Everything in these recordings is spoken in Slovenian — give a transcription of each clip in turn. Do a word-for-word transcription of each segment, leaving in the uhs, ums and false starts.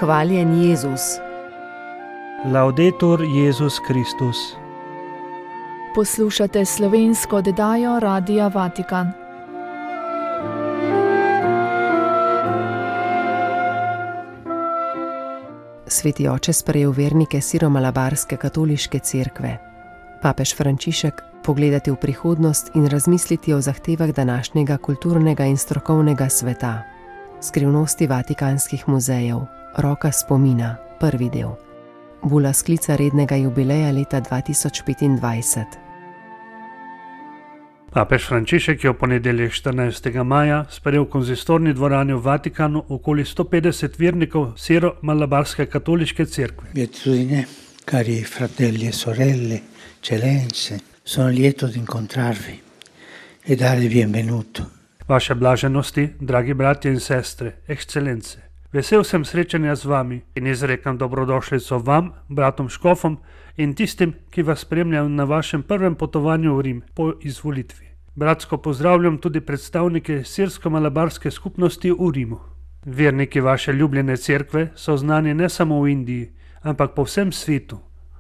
Hvaljen Jezus. Laudetur Jezus Kristus. Poslušate slovensko oddajo Radia Vatikan. Sveti oče sprejel vernike siromalabarske katoliške cerkve. Papež Frančišek, pogledati v prihodnost in razmisliti o zahtevah današnjega kulturnega in strokovnega sveta. Skrivnosti vatikanskih muzejev, roka spomina, prvi del. Bula sklica rednega jubileja leta dva tisoč petindvajset. Papež Frančišek je v ponedeljek štirinajstega maja sprejel v konzistorni dvorani v Vatikanu okoli sto petdeset vernikov siro-malabarske katoliške cerkve. Beatitudine, cari fratelli e sorelle, eccellenze, sono lieto di incontrarvi e darvi benvenuto. Vaše blaženosti, dragi bratje in sestre, ekscelence. Vesel sem srečanja z vami in izrekam dobrodošlico vam, bratom škofom in tistim, ki vas spremljajo na vašem prvem potovanju v Rim po izvolitvi. Bratsko pozdravljam tudi predstavnike sirsko-malabarske skupnosti v Rimu. Verniki vaše ljubljene cerkve so znani ne samo v Indiji, ampak po vsem svetu,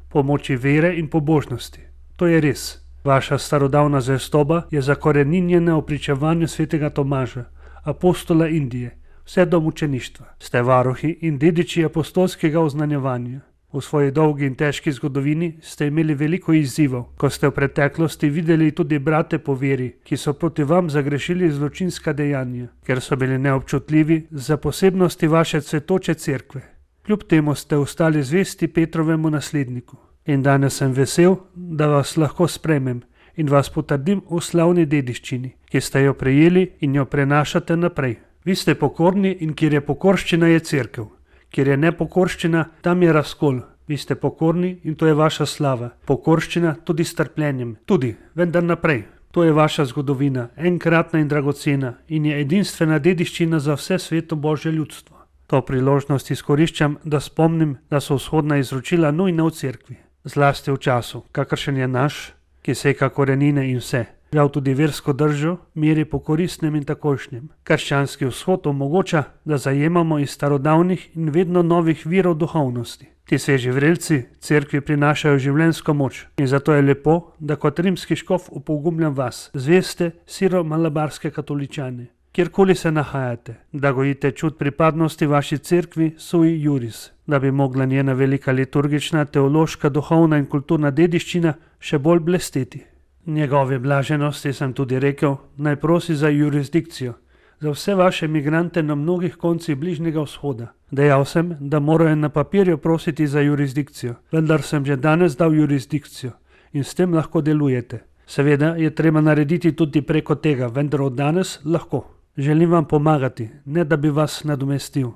po moči vere in pobožnosti. To je res. Vaša starodavna zvestoba je zakoreninjena v pričevanju svetega Tomaža, apostola Indije, vse do mučeništva. Ste varuhi in dediči apostolskega oznanjevanja. V svoji dolgi in težki zgodovini ste imeli veliko izzivov, ko ste v preteklosti videli tudi brate po veri, ki so proti vam zagrešili zločinska dejanja, ker so bili neobčutljivi za posebnosti vaše cvetoče cerkve. Kljub temu ste ostali zvesti Petrovemu nasledniku. In danes sem vesel, da vas lahko sprejmem in vas potrdim v slavni dediščini, ki ste jo prejeli in jo prenašate naprej. Vi ste pokorni in kjer je pokorščina, je cerkev. Kjer je nepokorščina, tam je razkol. Vi ste pokorni in to je vaša slava. Pokorščina tudi s trpljenjem. Tudi, vendar naprej. To je vaša zgodovina, enkratna in dragocena in je edinstvena dediščina za vse sveto Božje ljudstvo. To priložnost izkoriščam, da spomnim, da so vzhodna izročila nujna v cerkvi. Zlasti v času, kakršen je naš, ki seka korenine in vse. Žal tudi versko držo meri po koristnem in takojšnjem. Krščanski vzhod omogoča, da zajemamo iz starodavnih in vedno novih virov duhovnosti. Ti sveži vrelci cerkvi prinašajo življenjsko moč in zato je lepo, da kot rimski škof opogumljam vas, zveste siro-malabarske katoličane. Kjerkoli se nahajate, da gojite čut pripadnosti vaši cerkvi sui juris, da bi mogla njena velika liturgična, teološka, duhovna in kulturna dediščina še bolj blesteti. Njegove blaženosti sem tudi rekel, naj prosi za jurisdikcijo, za vse vaše migrante na mnogih koncih Bližnjega vzhoda. Dejal sem, da morajo na papirju prositi za jurisdikcijo, vendar sem že danes dal jurisdikcijo in s tem lahko delujete. Seveda je treba narediti tudi preko tega, vendar od danes lahko. Želim vam pomagati, ne da bi vas nadomestil.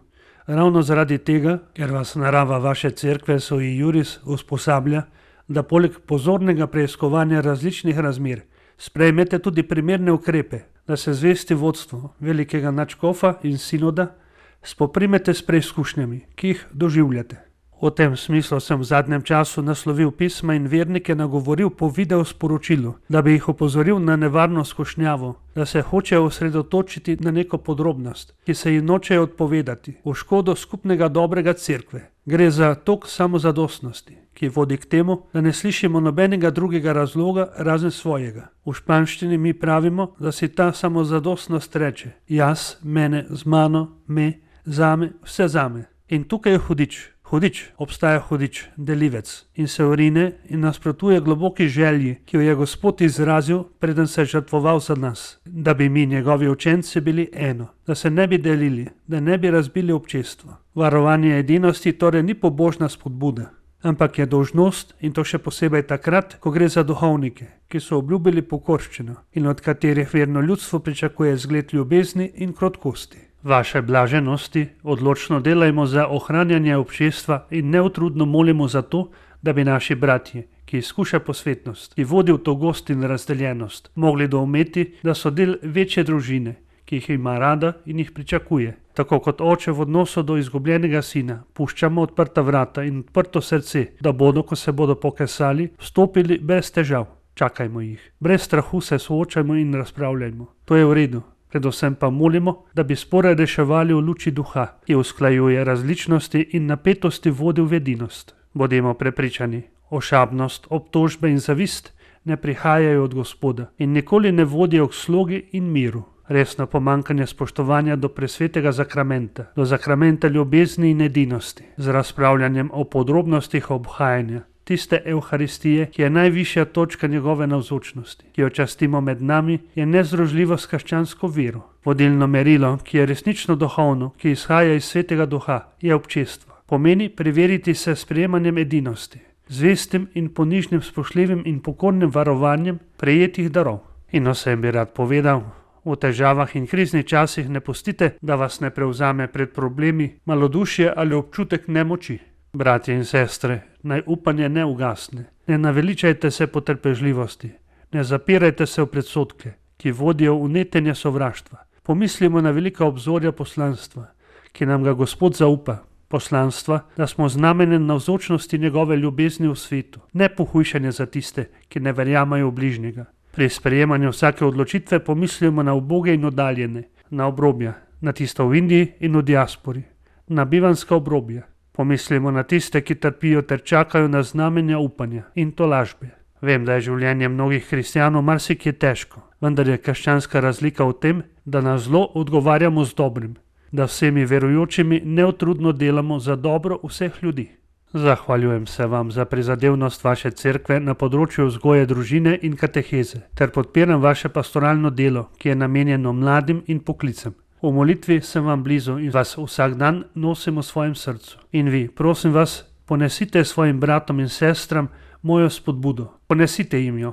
Ravno zaradi tega, ker vas narava vaše cerkve sui juris usposablja, da poleg pozornega preiskovanja različnih razmer sprejmete tudi primerne ukrepe, da se zvesti vodstvu velikega nadškofa in sinoda spoprimete s preizkušnjami, ki jih doživljate. V tem smislu sem v zadnjem času naslovil pisma in vernike nagovoril po video sporočilu, da bi jih opozoril na nevarno skušnjavo, da se hočejo osredotočiti na neko podrobnost, ki se jim nočejo odpovedati, v škodo skupnega dobrega cerkve. Gre za tok samozadostnosti, ki vodi k temu, da ne slišimo nobenega drugega razloga razen svojega. V španščini mi pravimo, da si ta samozadostnost reče: jaz, mene, z mano, me, zame, vse zame. In tukaj je hudič. Hudič, obstaja hudič, delivec in se vrine in nasprotuje globoki želji, ki jo je Gospod izrazil, preden se je žrtvoval za nas, da bi mi, njegovi učenci, bili eno, da se ne bi delili, da ne bi razbili občestvo. Varovanje edinosti torej ni pobožna spodbuda, ampak je dolžnost in to še posebej takrat, ko gre za duhovnike, ki so obljubili pokorščino in od katerih verno ljudstvo pričakuje zgled ljubezni in krotkosti. Vaše blaženosti odločno delajmo za ohranjanje občestva in neutrudno molimo za to, da bi naši bratje, ki izkuša posvetnost, ki vodi v togost in razdeljenost, mogli doumeti, da so del večje družine, ki jih ima rada in jih pričakuje. Tako kot oče v odnosu do izgubljenega sina, puščamo odprta vrata in odprto srce, da bodo, ko se bodo pokesali, vstopili brez težav. Čakajmo jih. Brez strahu se soočajmo in razpravljajmo. To je v redu. Predvsem pa molimo, da bi spore reševali v luči duha, ki usklajuje različnosti in napetosti vodi v edinost. Bodimo prepričani, ošabnost, obtožbe in zavist ne prihajajo od Gospoda in nikoli ne vodijo k slogi in miru. Resno pomanjkanje spoštovanja do presvetega zakramenta, do zakramenta ljubezni in edinosti, z razpravljanjem o podrobnostih obhajanja, tiste evharistije, ki je najvišja točka njegove navzočnosti, ki jo častimo med nami, je nezdružljivo s krščansko vero. Vodilno merilo, ki je resnično duhovno, ki izhaja iz svetega duha, je občestvo. Pomeni preveriti se s sprejemanjem edinosti, zvestim in ponižnim spoštljivim in pokornim varovanjem prejetih darov. In vsem bi rad povedal, v težavah in kriznih časih ne pustite, da vas ne prevzame pred problemi malodušje ali občutek nemoči. Bratje in sestre, naj upanje ne ugasne, ne naveličajte se potrpežljivosti, ne zapirajte se v predsodke, ki vodijo v netenje sovraštva. Pomislimo na velika obzorja poslanstva, ki nam ga Gospod zaupa, poslanstva, da smo znamenjem navzočnosti njegove ljubezni v svetu, ne pohujšanje za tiste, ki ne verjamajo v bližnjega. Pri sprejemanju vsake odločitve pomislimo na uboge in oddaljene, na obrobja, na tisto v Indiji in v diaspori, na bivanska obrobja. Pomislimo na tiste, ki trpijo ter čakajo na znamenja upanja in tolažbe. Vem, da je življenje mnogih kristjanov marsikje težko, vendar je krščanska razlika v tem, da na zlo odgovarjamo z dobrim, da vsemi verujočimi neutrudno delamo za dobro vseh ljudi. Zahvaljujem se vam za prizadevnost vaše cerkve na področju vzgoje družine in kateheze, ter podpiram vaše pastoralno delo, ki je namenjeno mladim in poklicem. V molitvi sem vam blizu in vas vsak dan nosim v svojem srcu. In vi, prosim vas, ponesite svojim bratom in sestram mojo spodbudo. Ponesite jim jo.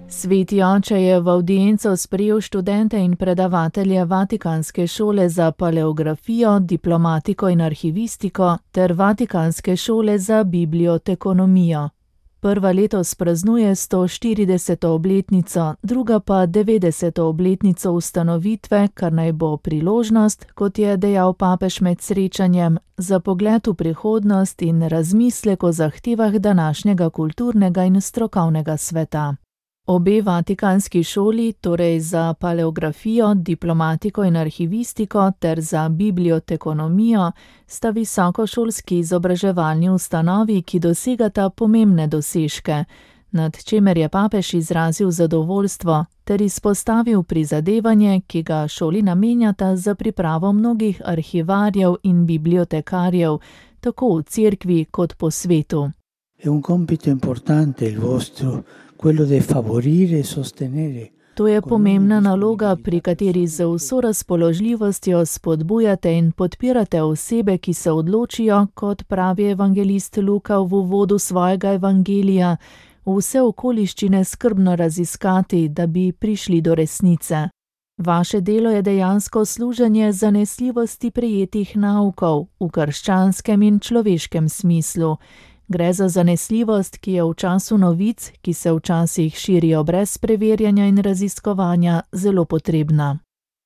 Sveti oče je v avdienco sprejel študente in predavatelje Vatikanske šole za paleografijo, diplomatiko in arhivistiko ter Vatikanske šole za bibliotekonomijo. Prva letos praznuje sto štirideseto obletnico, druga pa devetdeseto obletnico ustanovitve, kar naj bo priložnost, kot je dejal papež med srečanjem, za pogled v prihodnost in razmislek o zahtevah današnjega kulturnega in strokovnega sveta. Obe vatikanski šoli, torej za paleografijo, diplomatiko in arhivistiko ter za bibliotekonomijo, sta visokošolski izobraževalni ustanovi, ki dosegata pomembne dosežke, nad čemer je papež izrazil zadovoljstvo ter izpostavil prizadevanje, ki ga šoli namenjata za pripravo mnogih arhivarjev in bibliotekarjev, tako v cerkvi kot po svetu. È un compito importante il vostro, quello di favorire e sostenere. To je pomembna naloga, pri kateri z vso razpoložljivostjo spodbujate in podpirate osebe, ki se odločijo, kot pravi evangelist Luka v uvodu svojega evangelija, vse okoliščine skrbno raziskati, da bi prišli do resnice. Vaše delo je dejansko služenje zanesljivosti prejetih naukov v krščanskem in človeškem smislu. Gre za zanesljivost, ki je v času novic, ki se včasih širijo brez preverjanja in raziskovanja, zelo potrebna.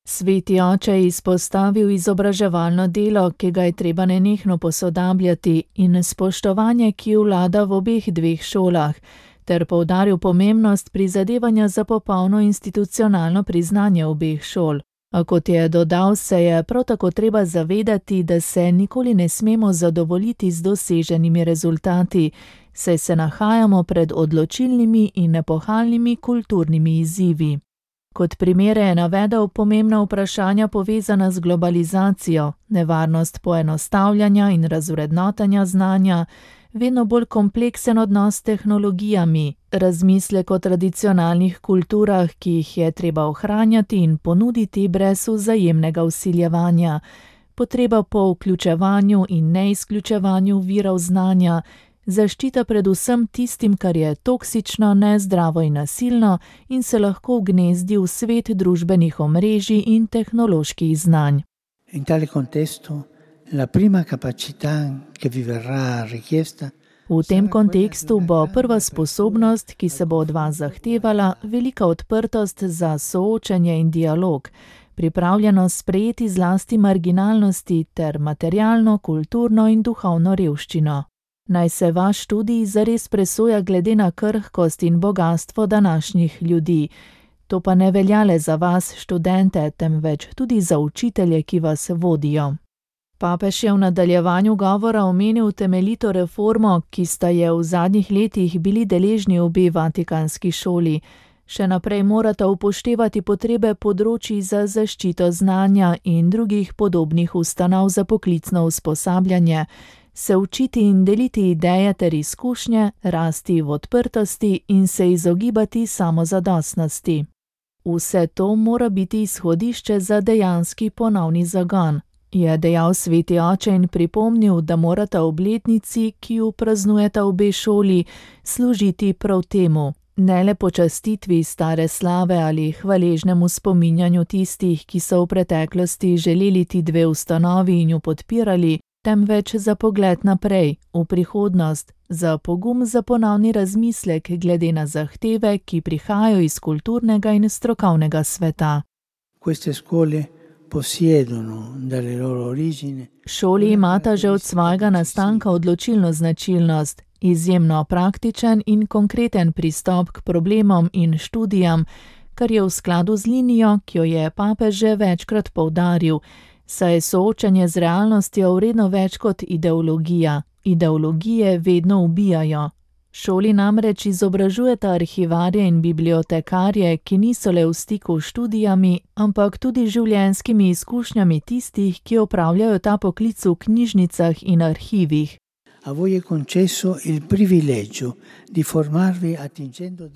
Sveti oče je izpostavil izobraževalno delo, ki ga je treba nenehno posodabljati, in spoštovanje, ki vlada v obeh dveh šolah, ter poudaril pomembnost prizadevanja za popolno institucionalno priznanje obeh šol. A kot je dodal, se je prav tako treba zavedati, da se nikoli ne smemo zadovoljiti z doseženimi rezultati, saj se nahajamo pred odločilnimi in nepohalnimi kulturnimi izzivi. Kot primere je navedel pomembna vprašanja povezana z globalizacijo, nevarnost poenostavljanja in razvrednotenja znanja, vedno bolj kompleksen odnos s tehnologijami, razmislek o tradicionalnih kulturah, ki jih je treba ohranjati in ponuditi brez vzajemnega vsiljevanja, potreba po vključevanju in neizključevanju virov znanja, zaščita predvsem tistim, kar je toksično, nezdravo in nasilno in se lahko vgnezdi v svet družbenih omrežij in tehnoloških znanj. In tale contesto, la prima capacità che vi verrà richiesta. V tem kontekstu bo prva sposobnost, ki se bo od vas zahtevala, velika odprtost za soočenje in dialog, pripravljenost sprejeti zlasti marginalnosti ter materialno, kulturno in duhovno revščino. Naj se vaš študij zares presoja glede na krhkost in bogastvo današnjih ljudi. To pa ne velja le za vas, študente, temveč tudi za učitelje, ki vas vodijo. Papež je v nadaljevanju govora omenil temeljito reformo, ki sta je v zadnjih letih bili deležni obe vatikanski šoli. Še naprej morata upoštevati potrebe področij za zaščito znanja in drugih podobnih ustanov za poklicno usposabljanje, se učiti in deliti ideje ter izkušnje, rasti v odprtosti in se izogibati samozadostnosti. Vse to mora biti izhodišče za dejanski ponovni zagon, je dejal sveti oče in pripomnil, da morata obletnici, ki ju praznujeta obe šoli, služiti prav temu. Ne le počastitvi stare slave ali hvaležnemu spominjanju tistih, ki so v preteklosti želeli ti dve ustanovi in ju podpirali, temveč za pogled naprej, v prihodnost, za pogum za ponovni razmislek glede na zahteve, ki prihajajo iz kulturnega in strokovnega sveta. Šoli imata že od svojega nastanka odločilno značilnost, izjemno praktičen in konkreten pristop k problemom in študijam, kar je v skladu z linijo, ki jo je papež že večkrat poudaril, saj je soočanje z realnostjo vredno več kot ideologija. Ideologije vedno ubijajo. Šoli namreč izobražujeta arhivarje in bibliotekarje, ki niso le v stiku s študijami, ampak tudi življenjskimi izkušnjami tistih, ki opravljajo ta poklic v knjižnicah in arhivih.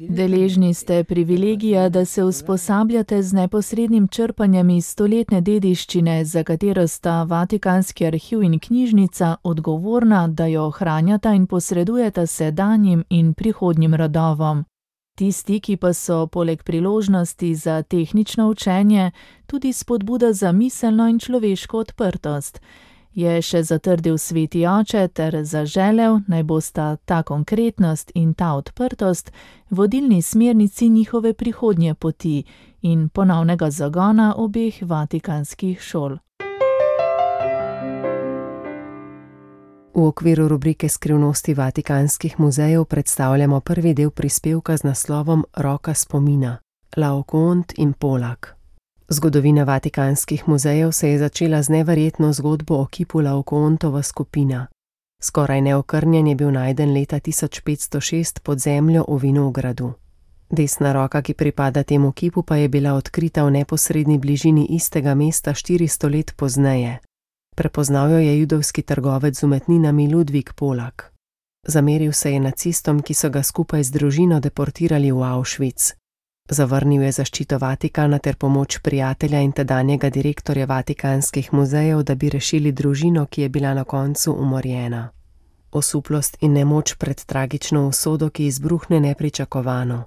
Deležni ste privilegija, da se usposabljate z neposrednim črpanjem iz stoletne dediščine, za katero sta Vatikanski arhiv in knjižnica odgovorna, da jo ohranjata in posredujeta sedanjim in prihodnjim rodovom. Tisti, ki pa so poleg priložnosti za tehnično učenje, tudi spodbuda za miselno in človeško odprtost, je še zatrdil sveti oče ter zaželel, naj bosta ta konkretnost in ta odprtost vodilni smernici njihove prihodnje poti in ponovnega zagona obeh vatikanskih šol. V okviru rubrike Skrivnosti vatikanskih muzejev predstavljamo prvi del prispevka z naslovom Roka spomina, Laokoont in Polak. Zgodovina vatikanskih muzejev se je začela z neverjetno zgodbo o kipu Laokoontova skupina. Skoraj neokrnjen je bil najden leta tisoč petsto šest pod zemljo v vinogradu. Desna roka, ki pripada temu kipu, pa je bila odkrita v neposredni bližini istega mesta štiristo let pozneje. Prepoznal jo je judovski trgovec z umetninami Ludvik Polak. Zameril se je nacistom, ki so ga skupaj z družino deportirali v Auschwitz. Zavrnil je zaščito Vatikana ter pomoč prijatelja in tedanjega direktorja vatikanskih muzejev, da bi rešili družino, ki je bila na koncu umorjena. Osuplost in nemoč pred tragično usodo, ki izbruhne nepričakovano.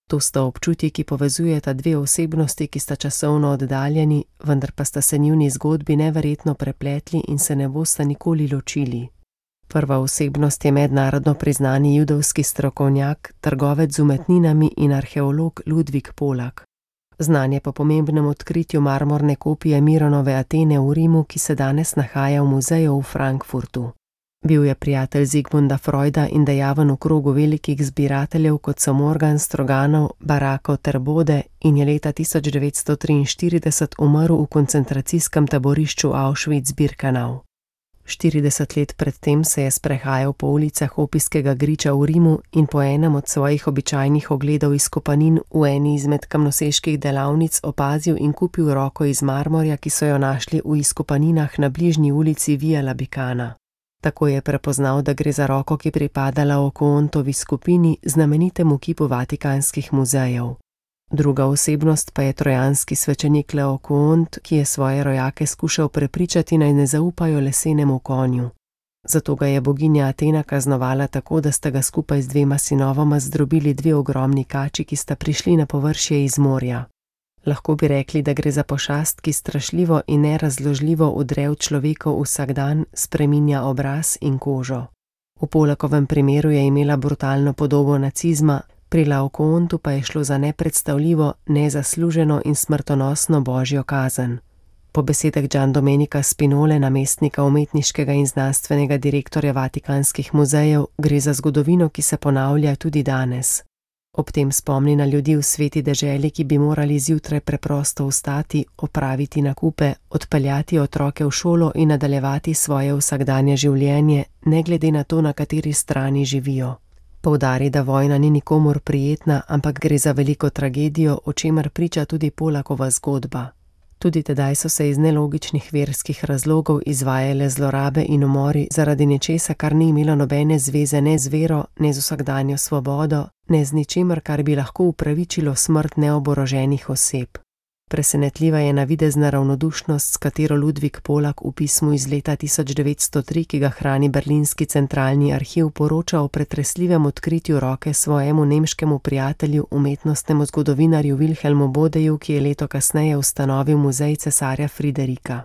To sta občutji, ki povezujeta dve osebnosti, ki sta časovno oddaljeni, vendar pa sta se njuni zgodbi neverjetno prepletli in se ne bosta nikoli ločili. Prva osebnost je mednarodno priznani judovski strokovnjak, trgovec z umetninami in arheolog Ludvik Polak. Znan je po pomembnem odkritju marmorne kopije Mironove Atene v Rimu, ki se danes nahaja v muzeju v Frankfurtu. Bil je prijatelj Zigmunda Freuda in dejaven v krogu velikih zbirateljev, kot so Morgan Stroganov, Barako ter Bode, in je leta tisoč devetsto triinštirideset umrl v koncentracijskem taborišču Auschwitz-Birkenau. štirideset let predtem se je sprehajal po ulicah Opijskega griča v Rimu in po enem od svojih običajnih ogledov izkopanin v eni izmed kamnoseških delavnic opazil in kupil roko iz marmorja, ki so jo našli v izkopaninah na bližnji ulici Via Labicana. Tako je prepoznal, da gre za roko, ki pripada Laokoontovi skupini, znamenitemu kipu vatikanskih muzejev. Druga osebnost pa je trojanski svečenik Laokoont, ki je svoje rojake skušal prepričati, naj ne zaupajo lesenemu konju. Zato ga je boginja Atena kaznovala tako, da sta ga skupaj z dvema sinovoma zdrobili dve ogromni kači, ki sta prišli na površje iz morja. Lahko bi rekli, da gre za pošast, ki strašljivo in nerazložljivo udre v človekov vsakdan, spreminja obraz in kožo. V Polakovem primeru je imela brutalno podobo nacizma, pri Laokoontu pa je šlo za nepredstavljivo, nezasluženo in smrtonosno božjo kazen. Po besedah Gian Domenica Spinole, namestnika umetniškega in znanstvenega direktorja Vatikanskih muzejev, gre za zgodovino, ki se ponavlja tudi danes. Ob tem spomni na ljudi v sveti deželi, ki bi morali zjutraj preprosto vstati, opraviti nakupe, odpeljati otroke v šolo in nadaljevati svoje vsakdanje življenje, ne glede na to, na kateri strani živijo. Poudari, da vojna ni nikomur prijetna, ampak gre za veliko tragedijo, o čemer priča tudi Polakova zgodba. Tudi tedaj so se iz nelogičnih verskih razlogov izvajale zlorabe in umori zaradi nečesa, kar ni imelo nobene zveze ne z vero, ne z vsakdanjo svobodo, ne z ničemer, kar bi lahko upravičilo smrt neoboroženih oseb. Presenetljiva je navidezna ravnodušnost, s katero Ludvik Polak v pismu iz leta tisoč devetsto tri, ki ga hrani Berlinski centralni arhiv, poroča o pretresljivem odkritju roke svojemu nemškemu prijatelju, umetnostnemu zgodovinarju Wilhelmu Bodeju, ki je leto kasneje ustanovil muzej cesarja Friderika.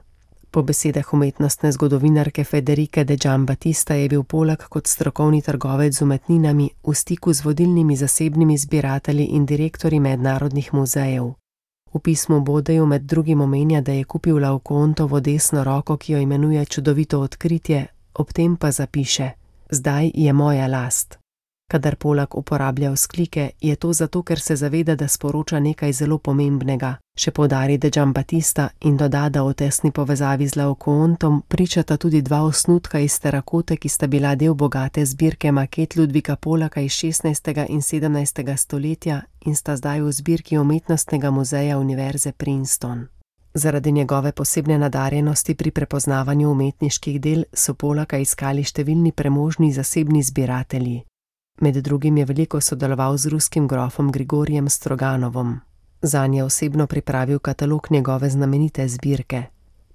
Po besedah umetnostne zgodovinarke Federike de Giambattista je bil Polak kot strokovni trgovec z umetninami v stiku z vodilnimi zasebnimi zbiratelji in direktorji mednarodnih muzejev. V pismu Bodeju med drugim omenja, da je kupil Laokoontovo desno roko, ki jo imenuje čudovito odkritje, ob tem pa zapiše: zdaj je moja last. Kadar Polak uporablja vzklike, je to zato, ker se zaveda, da sporoča nekaj zelo pomembnega, še poudari de Giambattista in doda, da o tesni povezavi z Laokoontom pričata tudi dva osnutka iz terakote, ki sta bila del bogate zbirke maket Ludvika Polaka iz šestnajstega in sedemnajstega stoletja in sta zdaj v zbirki Umetnostnega muzeja Univerze Princeton. Zaradi njegove posebne nadarjenosti pri prepoznavanju umetniških del so Polaka iskali številni premožni zasebni zbiratelji. Med drugim je veliko sodeloval z ruskim grofom Grigorijem Stroganovom. Zanj je osebno pripravil katalog njegove znamenite zbirke.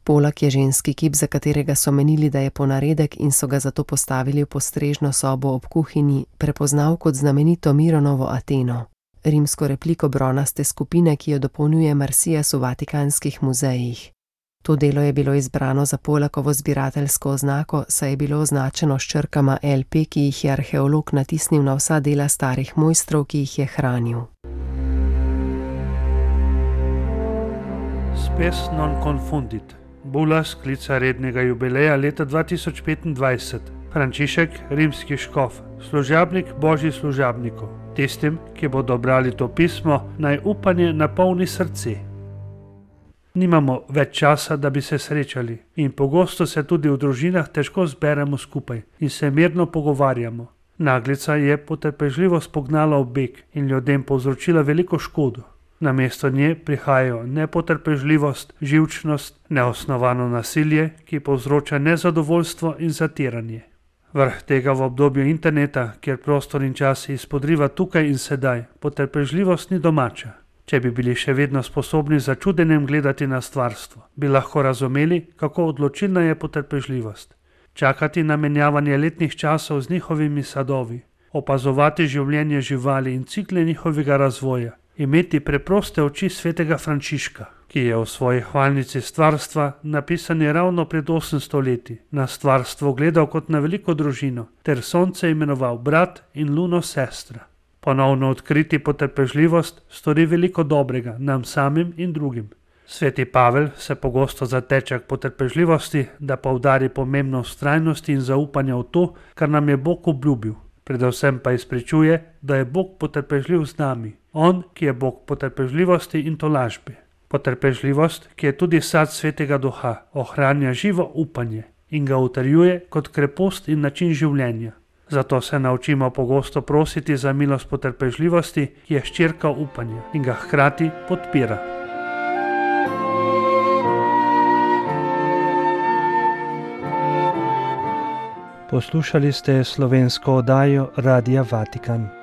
Polak je ženski kip, za katerega so menili, da je ponaredek in so ga zato postavili v postrežno sobo ob kuhinji, prepoznal kot znamenito Mironovo Ateno, rimsko repliko bronaste skupine, ki jo dopolnjuje Marsijas v Vatikanskih muzejih. To delo je bilo izbrano za Polakovo zbirateljsko oznako, saj je bilo označeno s črkama L P, ki jih je arheolog natisnil na vsa dela starih mojstrov, ki jih je hranil. Spes non confundit. Bula sklica rednega jubileja leta dva tisoč petindvajset. Frančišek, rimski škof, služabnik božjih služabnikov. Tistim, ki bodo brali to pismo, naj upanje napolni srce. Nimamo več časa, da bi se srečali, in pogosto se tudi v družinah težko zberemo skupaj in se mirno pogovarjamo. Naglica je potrpežljivost pognala v beg in ljudem povzročila veliko škodo. Namesto nje prihajajo nepotrpežljivost, živčnost, neosnovano nasilje, ki povzroča nezadovoljstvo in zatiranje. Vrh tega v obdobju interneta, kjer prostor in čas izpodriva tukaj in sedaj, potrpežljivost ni domača. Če bi bili še vedno sposobni z začudenjem gledati na stvarstvo, bi lahko razumeli, kako odločilna je potrpežljivost. Čakati na menjavanje letnih časov z njihovimi sadovi, opazovati življenje živali in cikle njihovega razvoja, imeti preproste oči svetega Frančiška, ki je v svoji hvalnici stvarstva, napisani ravno pred osemsto leti, na stvarstvo gledal kot na veliko družino, ter sonce imenoval brat in luno sestra. Ponovno odkriti potrpežljivost stori veliko dobrega nam samim in drugim. Sveti Pavel se pogosto zateče k potrpežljivosti, da poudari pomembnost vztrajnosti in zaupanja v to, kar nam je Bog obljubil. Predvsem pa izpričuje, da je Bog potrpežljiv z nami, on, ki je Bog potrpežljivosti in tolažbe. Potrpežljivost, ki je tudi sad svetega duha, ohranja živo upanje in ga utrjuje kot krepost in način življenja. Zato se naučimo pogosto prositi za milost potrpežljivosti, ki je hčerka upanja in ga hkrati podpira. Poslušali ste slovensko oddajo Radia Vatikan.